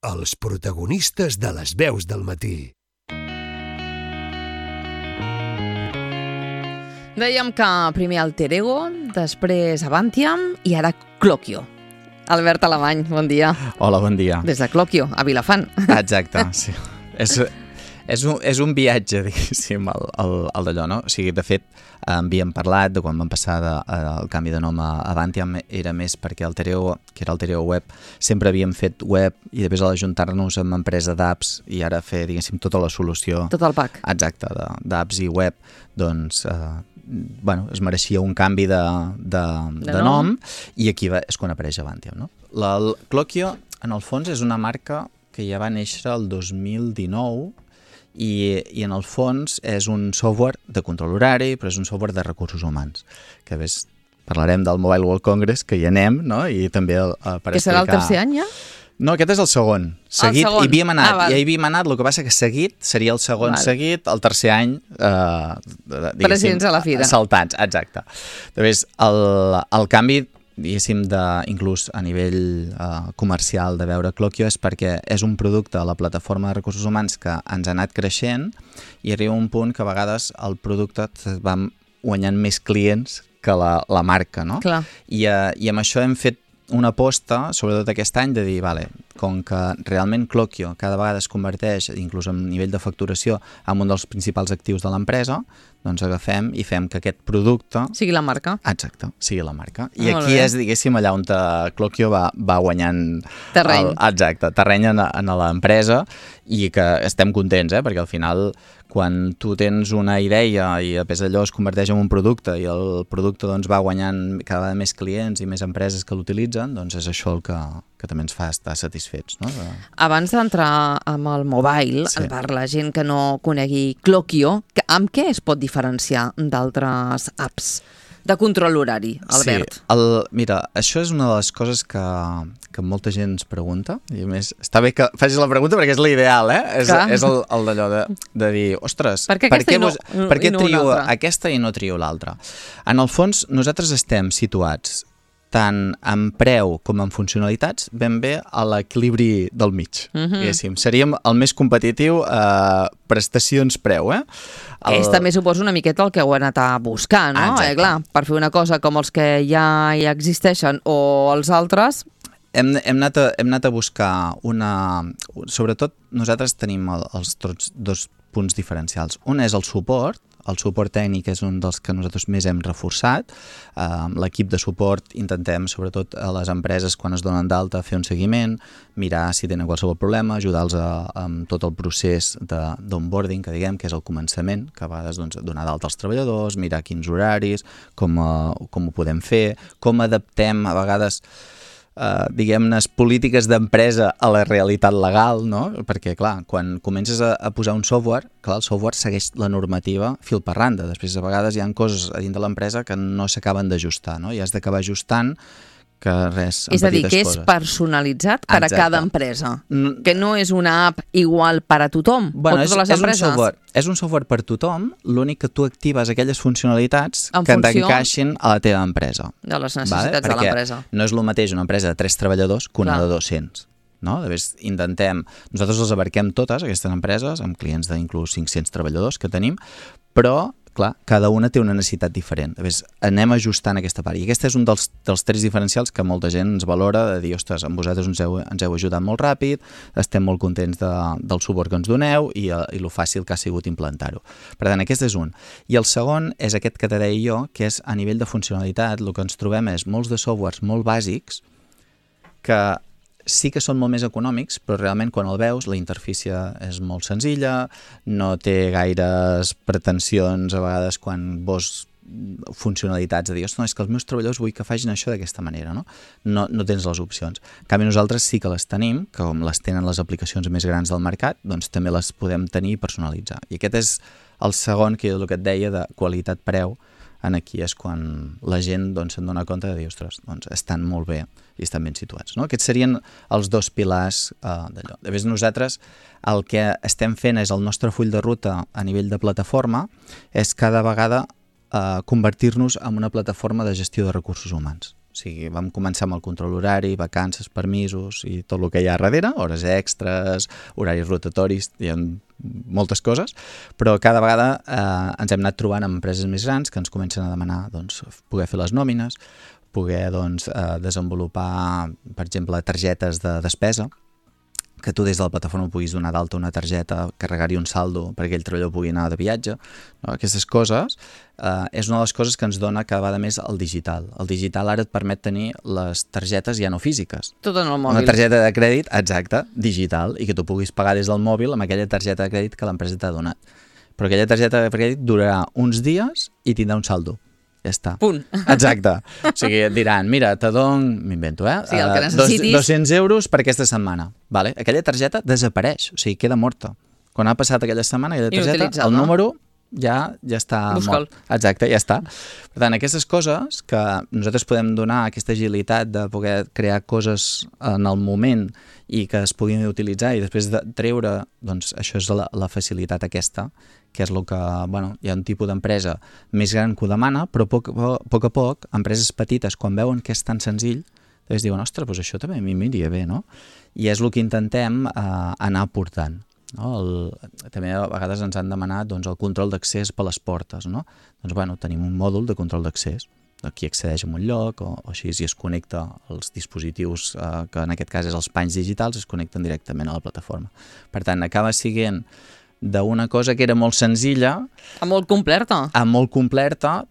Els protagonistes de les veus del matí. Dèiem que primer Alter Ego, després Avantiam i ara Cloquio. Albert Alemany, bon dia. Hola, bon dia. Des de Cloquio, a Vilafant. Exacte, sí. És un viatge, diguéssim, el d'allò, no? O sigui, de fet, havíem parlat de quan vam passar el canvi de nom a Avantiam, era més perquè Alter Ego, que era Alter Ego Web, sempre havíem fet web i després a l'ajuntar-nos amb empresa d'apps i ara fer, diguéssim, tota la solució. Tot el pack. Exacte, d'apps i web, doncs, es mereixia un canvi de nom i aquí és quan apareix Avantiam, no? El Cloquio, en el fons, és una marca que ja va néixer el 2019 i en el fons és un software de control horari, però és un software de recursos humans, que parlarem del Mobile World Congress, que hi anem, no? I també per explicar... Que serà el tercer any, ja? No, aquest és el segon. Seguit, el segon. Hi havíem anat, el que passa que seguit seria el segon seguit, el tercer any, presents a la fira. Saltats, exacte. Llavors, el canvi, diguéssim, inclús a nivell comercial de veure Cloquio és perquè és un producte a la plataforma de recursos humans que ens ha anat creixent i arriba un punt que a vegades el producte va guanyant més clients que la marca, no? Clar. I amb això hem fet una aposta, sobretot aquest any, de dir, com que realment Cloquio cada vegada es converteix, inclús a nivell de facturació, en un dels principals actius de l'empresa, doncs agafem i fem que aquest producte... Sigui la marca. Exacte, sigui la marca. I aquí és, diguéssim, allà on Cloquio va guanyant... Terreny. Exacte, terreny en l'empresa i que estem contents, perquè al final, quan tu tens una idea i després allò es converteix en un producte i el producte doncs, va guanyant cada vegada més clients i més empreses que l'utilitzen, doncs és això el que també ens fa estar satisfets. No? Abans d'entrar amb el mobile, per la gent que no conegui Cloquio, amb què es pot diferenciar d'altres apps de control horari, Albert? Sí, mira, això és una de les coses que molta gent ens pregunta, i a més, està bé que facis la pregunta perquè és l'ideal, És el d'allò de dir, ostres, per què trio aquesta i no trio l'altra? En el fons, nosaltres estem situats tant en preu com en funcionalitats, ben bé a l'equilibri del mig. Seríem el més competitiu prestacions-preu. També suposo una miqueta el que heu anat a buscar, no? Clar, per fer una cosa com els que ja existeixen o els altres... Hem anat a buscar Sobretot, nosaltres tenim els dos punts diferencials. Un és el suport tècnic és un dels que nosaltres més hem reforçat. L'equip de suport intentem, sobretot a les empreses, quan es donen d'alta, fer un seguiment, mirar si tenen qualsevol problema, ajudar-los amb tot el procés d'onboarding, que és el començament, que a vegades donar d'alta als treballadors, mirar quins horaris, com ho podem fer, com adaptem a vegades polítiques d'empresa a la realitat legal, no? Perquè, clar, quan comences a posar un software, el software segueix la normativa fil per randa. Després, a vegades, hi ha coses a dins de l'empresa que no s'acaben d'ajustar, no? I has d'acabar ajustant que res, en petites coses. És a dir, que és personalitzat per a cada empresa, que no és una app igual per a tothom, o totes les empreses. És un software per tothom, l'únic que tu actives aquelles funcionalitats que t'encaixin a la teva empresa. De les necessitats de l'empresa. No és el mateix una empresa de 3 treballadors que una de 200. No? Nosaltres les abarquem totes, aquestes empreses, amb clients d'inclús 500 treballadors que tenim, però clar, cada una té una necessitat diferent. Anem ajustant aquesta part. I aquest és un dels 3 diferencials que molta gent ens valora, de dir, ostres, amb vosaltres ens heu ajudat molt ràpid, estem molt contents del suport que ens doneu i lo fàcil que ha sigut implantar-ho. Per tant, aquest és un. I el segon és aquest que te deia jo, que és a nivell de funcionalitat, el que ens trobem és molts de softwares molt bàsics que sí que són molt més econòmics, però realment quan el veus la interfície és molt senzilla, no té gaires pretensions a vegades quan veus funcionalitats de dir, ostres, és que els meus treballadors vull que facin això d'aquesta manera, no? No tens les opcions. En canvi, nosaltres sí que les tenim, que com les tenen les aplicacions més grans del mercat, doncs també les podem tenir i personalitzar. I aquest és el segon, que és el que et deia, de qualitat-preu. Aquí és quan la gent se'n dona compte de dir, ostres, estan molt bé i estan ben situats. No? Aquests serien els dos pilars d'allò. De més, nosaltres el que estem fent és el nostre full de ruta a nivell de plataforma, és cada vegada convertir-nos en una plataforma de gestió de recursos humans. O sigui, vam començar amb el control horari, vacances, permisos i tot el que hi ha darrere, hores extres, horaris rotatoris, hi ha moltes coses, però cada vegada ens hem anat trobant amb empreses més grans que ens comencen a demanar doncs, poder fer les nòmines, poder doncs, desenvolupar, per exemple, targetes de despesa, que tu des de la plataforma puguis donar d'alta una targeta, carregar-hi un saldo perquè el treballador pugui anar de viatge. No? Aquestes coses és una de les coses que ens dona cada vegada més el digital. El digital ara et permet tenir les targetes ja no físiques. Tot en el mòbil. Una targeta de crèdit, exacte, digital, i que tu puguis pagar des del mòbil amb aquella targeta de crèdit que l'empresa t'ha donat. Però aquella targeta de crèdit durarà uns dies i tindrà un saldo. Ja està. Punt. Exacte. O sigui, et diran, mira, te dono, m'invento, sí, el que necessitis. 200 euros per aquesta setmana. Vale? Aquella targeta desapareix, o sigui, queda morta. Quan ha passat aquella setmana, aquella targeta, el número ja està mort. Exacte, ja està. Per tant, aquestes coses que nosaltres podem donar aquesta agilitat de poder crear coses en el moment i que es puguin utilitzar i després de treure, doncs això és la facilitat aquesta, que és el que, bueno, hi ha un tipus d'empresa més gran que ho demana, però a poc a poc, empreses petites, quan veuen que és tan senzill, doncs diuen, ostres, doncs això també a mi m'iria bé, no? I és el que intentem anar portant. No? També a vegades ens han demanat doncs, el control d'accés per les portes, no? Doncs bueno, tenim un mòdul de control d'accés, qui accedeix a un lloc o així si es connecta als dispositius que en aquest cas és els panys digitals, es connecten directament a la plataforma. Per tant, acaba sent d'una cosa que era molt senzilla a molt completa,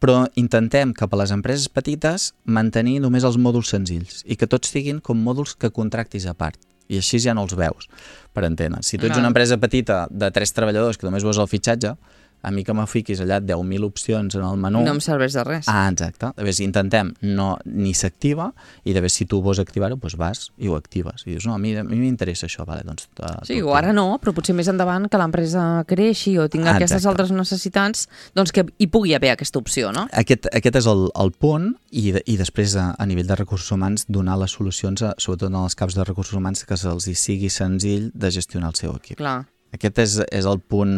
però intentem que per les empreses petites mantenir només els mòduls senzills i que tots siguin com mòduls que contractis a part. I així ja no els veus, per entendre. Si tu ets una empresa petita de 3 treballadors que només veus el fitxatge, a mi que me fiquis allà 10.000 opcions en el menú... No em serveix de res. Exacte. De vegades intentem, ni s'activa, i de vegades si tu vols activar-ho, doncs vas i ho actives. I dius, no, a mi m'interessa això. Vale, doncs, sí, o ara no, però potser més endavant que l'empresa creixi o tingui aquestes altres necessitats, doncs que hi pugui haver aquesta opció, no? Aquest és el punt, i després a nivell de recursos humans donar les solucions, sobretot en els caps de recursos humans, que se'ls sigui senzill de gestionar el seu equip. Clar. Aquest és el punt,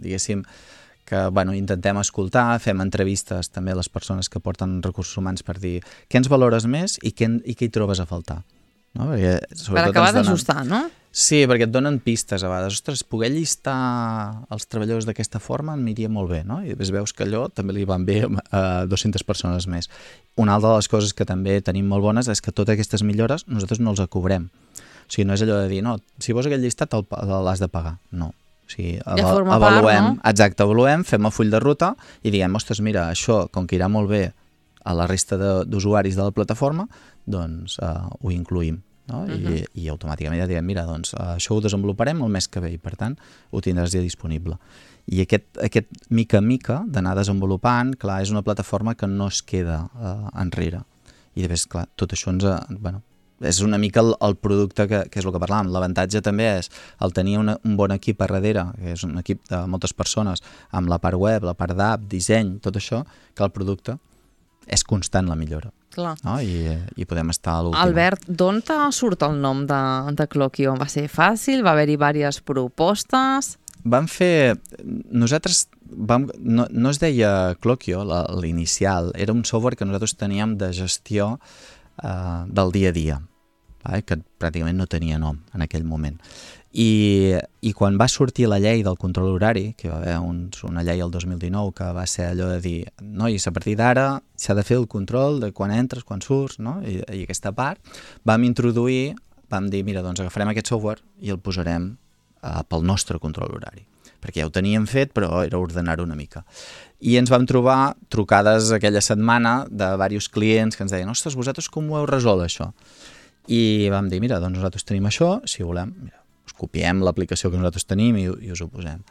diguéssim, que bueno, intentem escoltar, fem entrevistes també a les persones que porten recursos humans per dir què ens valores més i què hi trobes a faltar. No? Perquè, per acabar d'ajustar, no? Sí, perquè et donen pistes a vegades. Ostres, poder llistar els treballadors d'aquesta forma m'aniria molt bé, no? I després veus que allò també li van bé a 200 persones més. Una altra de les coses que també tenim molt bones és que totes aquestes millores nosaltres no els cobrem. O sigui, no és allò de dir, no, si vols aquell llistat l'has de pagar. No. O sigui, avaluem, exacte, avaluem, fem el full de ruta i diguem, ostres, mira, això, com que irà molt bé a la resta d'usuaris de la plataforma, doncs ho incluïm. No? I automàticament ja diem, mira, doncs això ho desenvoluparem el mes que ve i per tant ho tindràs ja disponible. I aquest mica en mica d'anar desenvolupant, clar, és una plataforma que no es queda enrere. I després, clar, tot això és una mica el producte que és el que parlàvem. L'avantatge també és el tenir un bon equip a darrere, que és un equip de moltes persones, amb la part web, la part d'app, disseny, tot això, que el producte és constant la millora. Clar. No? I podem estar a l'última. Albert, d'on surt el nom de Cloquio? Va ser fàcil? Va haver-hi diverses propostes? Vam fer... Nosaltres no es deia Cloquio, l'inicial. Era un software que nosaltres teníem de gestió del dia a dia, que pràcticament no tenia nom en aquell moment. I quan va sortir la llei del control horari, que va haver una llei el 2019 que va ser allò de dir, nois, a partir d'ara s'ha de fer el control de quan entres, quan surts, no? I aquesta part, vam dir, mira, doncs agafarem aquest software i el posarem pel nostre control horari, perquè ja ho teníem fet, però era ordenar-ho una mica. I ens vam trobar trucades aquella setmana de diversos clients que ens deien, ostres, vosaltres com ho heu resolt, això? I vam dir, mira, doncs nosaltres tenim això, si volem, mira, us copiem l'aplicació que nosaltres tenim i us ho posem.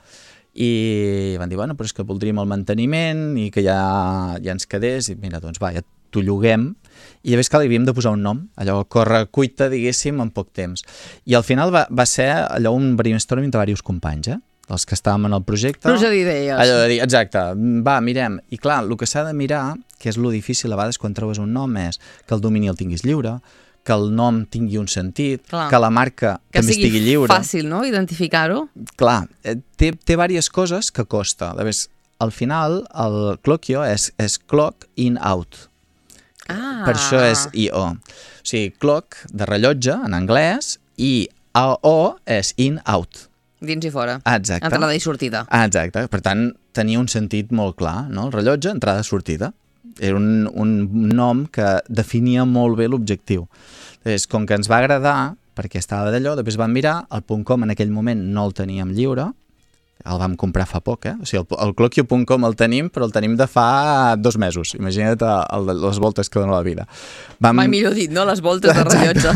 I van dir, bueno, però és que voldríem el manteniment i que ja ens quedés, i mira, doncs va, ja t'ho lloguem, i llavors li havíem de posar un nom, allò corre cuita, diguéssim, en poc temps. I al final va ser allò un brainstorming de diversos companys, els que estàvem en el projecte. Pluja d'idees. Allò de dir, exacte, va, mirem. I clar, el que s'ha de mirar, que és lo difícil a vegades quan trobes un nom, és que el domini el tinguis lliure, que el nom tingui un sentit, clar, que la marca també estigui lliure. Que sigui fàcil, no?, identificar-ho. Clar, té diverses coses que costa. Al final, el Cloquio és clock in out. Per això és I.O. O sigui, clock, de rellotge, en anglès, i A.O. és in-out. Dins i fora. Exacte. Entrada i sortida. Exacte. Per tant, tenia un sentit molt clar, no? El rellotge, entrada-sortida. Era un nom que definia molt bé l'objectiu. Com que ens va agradar, perquè estava d'allò, després vam mirar, el .com en aquell moment no el teníem lliure, el vam comprar fa poc, O sigui, el Cloquio.com el tenim, però el tenim de fa 2 mesos. Imagina't les voltes que dona la vida. Mai millor dit, no? Les voltes de rellotge.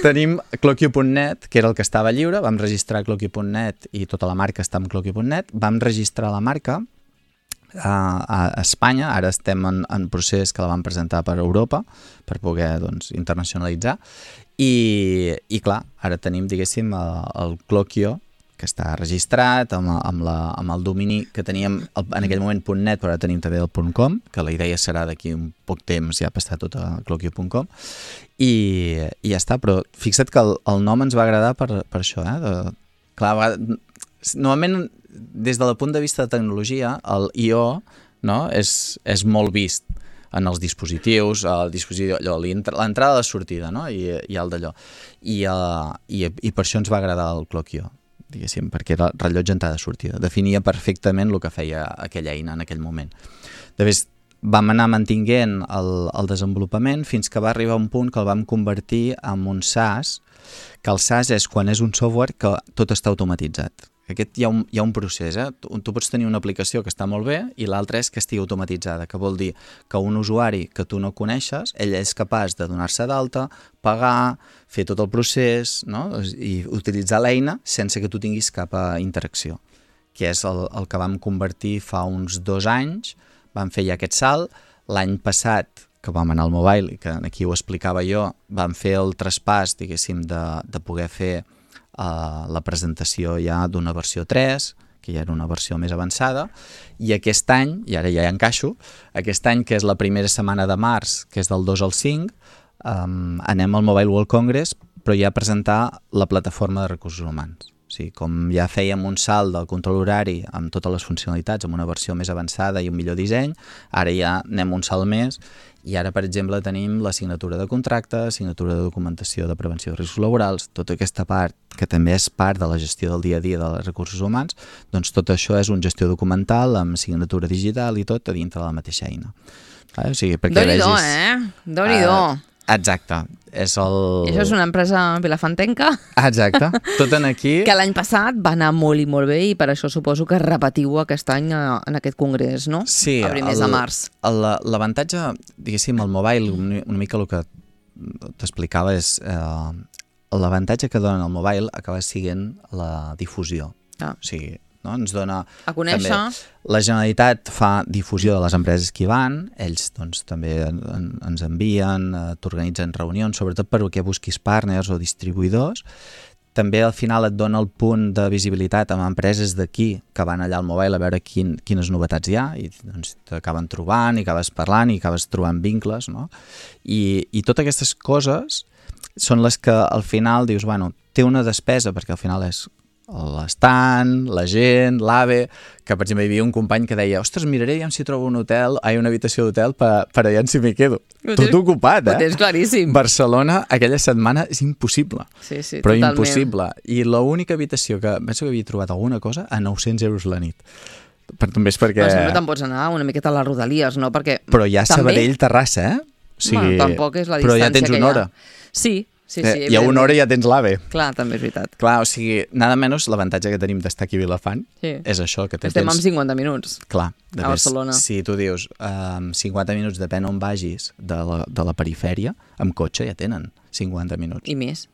Tenim Cloquio.net, que era el que estava lliure, vam registrar Cloquio.net i tota la marca està amb Cloquio.net, vam registrar la marca a Espanya, ara estem en procés que la vam presentar per Europa, per poder internacionalitzar, i clar, ara tenim, diguéssim, el Cloquio, que està registrat amb el domini que teníem en aquell moment .net, però ara tenim també el .com, que la idea serà d'aquí un poc temps ja passar tot a cloquio.com, i ja està, però fixa't que el nom ens va agradar per això, clar, normalment des del punt de vista de tecnologia el I.O. no, és molt vist en els dispositius, l'entrada i la sortida, no? I el d'allò, i per això ens va agradar el Cloquio, diguéssim, perquè era rellotge entrada-sortida. Definia perfectament el que feia aquella eina en aquell moment. Després vam anar mantinguent el desenvolupament fins que va arribar un punt que el vam convertir en un SaaS, que el SaaS és quan és un software que tot està automatitzat. Aquest hi ha un procés, Tu pots tenir una aplicació que està molt bé i l'altra és que estigui automatitzada, que vol dir que un usuari que tu no coneixes, ell és capaç de donar-se d'alta, pagar, fer tot el procés, no? I utilitzar l'eina sense que tu tinguis cap interacció, que és el que vam convertir fa uns 2 anys, vam fer ja aquest salt. L'any passat, que vam anar al mobile, i que aquí ho explicava jo, vam fer el traspàs, diguéssim, de poder fer la presentació ja d'una versió 3, que ja era una versió més avançada, i aquest any, i ara ja hi encaixo, aquest any, que és la primera setmana de març, que és del 2 al 5, anem al Mobile World Congress, però ja a presentar la plataforma de recursos humans. O sigui, com ja fèiem un salt del control horari amb totes les funcionalitats, amb una versió més avançada i un millor disseny, ara ja anem un salt més, i ara, per exemple, tenim la signatura de contracte, signatura de documentació de prevenció de riscos laborals, tota aquesta part, que també és part de la gestió del dia a dia dels recursos humans, doncs tot això és un gestió documental amb signatura digital i tot a dintre de la mateixa eina. O sigui, perquè Déu-n'hi-do, Déu-n'hi-do. Exacte. I això és una empresa vilafantenca. Exacte. Tot en aquí. Que l'any passat va anar molt i molt bé i per això suposo que repetiu aquest any en aquest congrés, no? Sí. A primers de març. L'avantatge, diguéssim, al mobile, una mica el que t'explicava és l'avantatge que dona el mobile acaba sent la difusió. O sigui, no? Ens dona a conèixer. També, la Generalitat fa difusió de les empreses que hi van, ells doncs, també ens envien, t'organitzen reunions, sobretot perquè busquis partners o distribuïdors. També al final et dona el punt de visibilitat amb empreses d'aquí que van allà al mobile a veure quines novetats hi ha, i doncs, t'acaben trobant i acabes parlant i acabes trobant vincles, no? I totes aquestes coses són les que al final dius, bueno, té una despesa, perquè al final és l'estant, la gent, l'AVE, que per exemple hi havia un company que deia, ostres, miraré ja si trobo una habitació d'hotel per allà si m'hi quedo. Tot ocupat, Ho tens claríssim. Barcelona aquella setmana és impossible. Sí, però totalment. Impossible. I l'única habitació que penso que havia trobat alguna cosa a 900 euros la nit. També és perquè... Però sempre te'n pots anar una miqueta a les Rodalies, no? Perquè però ja també... Sabadell-Terrassa, O sigui... Bueno, tampoc és la distància però ja tens una hora. Sí. I a una hora ja tens l'AVE. Clar, també és veritat. Clar, o sigui, nada menys l'avantatge que tenim d'estar aquí a Vilafant és això, que estem amb 50 minuts clar, a Barcelona. Si tu dius 50 minuts depèn on vagis de la perifèria, amb cotxe ja tenen 50 minuts. I més.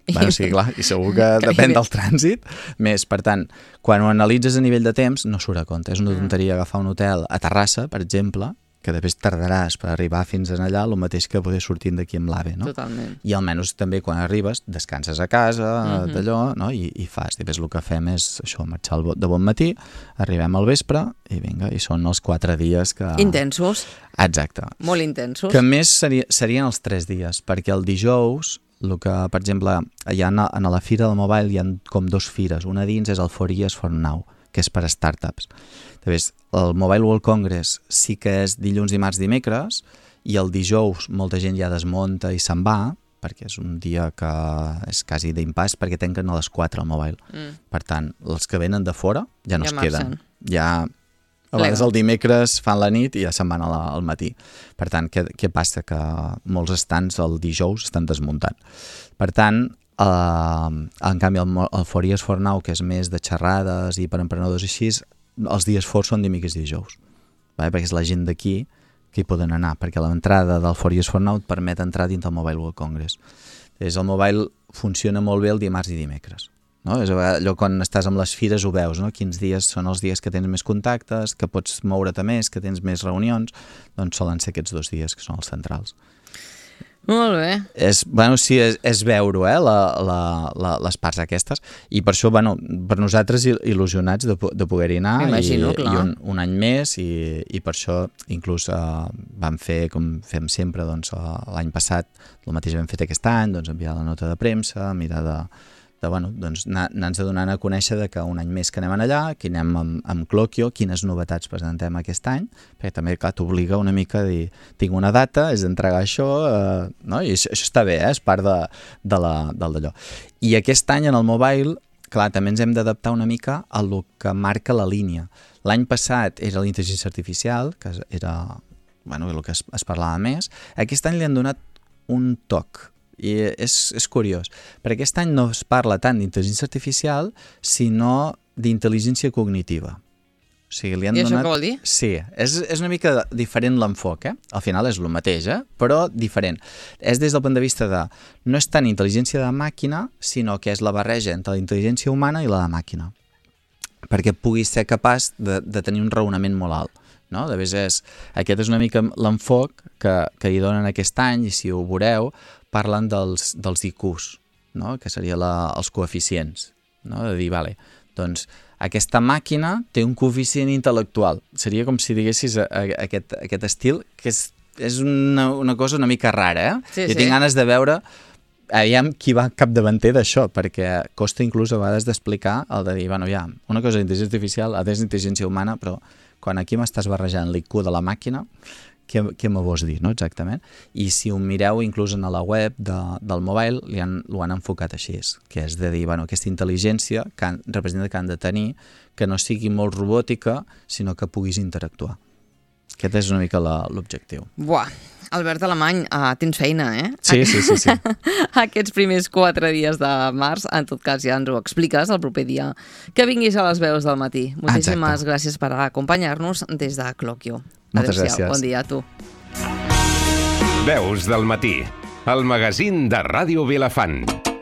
Bueno, sí, clar, i segur que depèn del trànsit més. Per tant, quan ho analitzes a nivell de temps, no surt a compte. És una tonteria agafar un hotel a Terrassa, per exemple, que després tardaràs per arribar fins allà el mateix que poder sortint d'aquí amb l'AVE, no? Totalment. I almenys també quan arribes descanses a casa, d'allò, no? I fas. Després el que fem és això, marxar de bon matí, arribem al vespre i vinga, i són els 4 dies que... Intensos. Exacte. Molt intensos. Que més serien els 3 dies, perquè el dijous, el que, per exemple, allà a la Fira del Mobile hi ha com 2 fires. Una dins és el 4Years for Now, que és per a startups. Després, el Mobile World Congress sí que és dilluns, dimarts, dimecres, i el dijous molta gent ja desmunta i se'n va, perquè és un dia que és quasi d'impàs, perquè tanquen a les 4 al Mobile. Per tant, els que venen de fora ja no es queden. Ja, a vegades el dimecres fan la nit i ja se'n van al matí. Per tant, què passa? Que molts estants el dijous estan desmuntant. Per tant, en canvi el For Years For Now, que és més de xerrades i per emprenedors així, els dies forts són dimecres i dijous, perquè és la gent d'aquí que hi poden anar, perquè l'entrada del For Years For Now et permet entrar dins del Mobile World Congress. El Mobile funciona molt bé el dimarts i dimecres. No? És allò quan estàs amb les fires ho veus, no? Quins dies són els dies que tens més contactes, que pots moure't més, que tens més reunions, doncs solen ser aquests 2 dies que són els centrals. Molt bé. Sí, és veure les parts aquestes i per això, per nosaltres il·lusionats de poder-hi anar i un any més i per això inclús vam fer, com fem sempre, l'any passat, el mateix hem fet aquest any, enviar la nota de premsa, mirar anar-nos donant a conèixer que un any més que anem allà, que anem amb Cloquio, quines novetats presentem aquest any, perquè també, clar, t'obliga una mica a dir, tinc una data, és d'entregar això, no? I això està bé, és part del d'allò. I aquest any en el Mobile, clar, també ens hem d'adaptar una mica a el que marca la línia. L'any passat era la intel·ligència artificial, que era el que es parlava més. Aquest any li han donat un toc, i és curiós, perquè aquest any no es parla tant d'intel·ligència artificial sinó d'intel·ligència cognitiva. O sigui, li han donat... Això què vol dir? Sí, és una mica diferent l'enfoc, Al final és el mateix, però diferent. És des del punt de vista de... No és tant intel·ligència de màquina, sinó que és la barreja entre la intel·ligència humana i la de màquina. Perquè puguis ser capaç de tenir un raonament molt alt. No? Aquest és una mica l'enfoc que hi donen aquest any, i si ho veureu, parlen dels IQs, no? Que serien els coeficients, no? De dir, doncs aquesta màquina té un coeficient intel·lectual. Seria com si diguessis aquest estil, que és una cosa una mica rara, Sí, I tinc ganes de veure aviam qui va capdavanter d'això, perquè costa inclús a vegades d'explicar el de dir, una cosa és intel·ligència artificial, altra és intel·ligència humana, però quan aquí m'estàs barrejant l'IQ de la màquina, què me vols dir, no? Exactament. I si ho mireu inclús en la web del Mobile, ho han enfocat així, que és de dir, aquesta intel·ligència que representa que han de tenir, que no sigui molt robòtica, sinó que puguis interactuar. Aquest és una mica l'objectiu. Buah, Albert Alemany, tens feina, Sí. Aquests primers 4 dies de març, en tot cas ja ens ho expliques el proper dia que vinguis a les veus del matí. Moltíssimes gràcies per acompanyar-nos des de Cloquio. Moltes gràcies. Bon dia a tu. Veus del matí, el magazín de Ràdio Vilafant.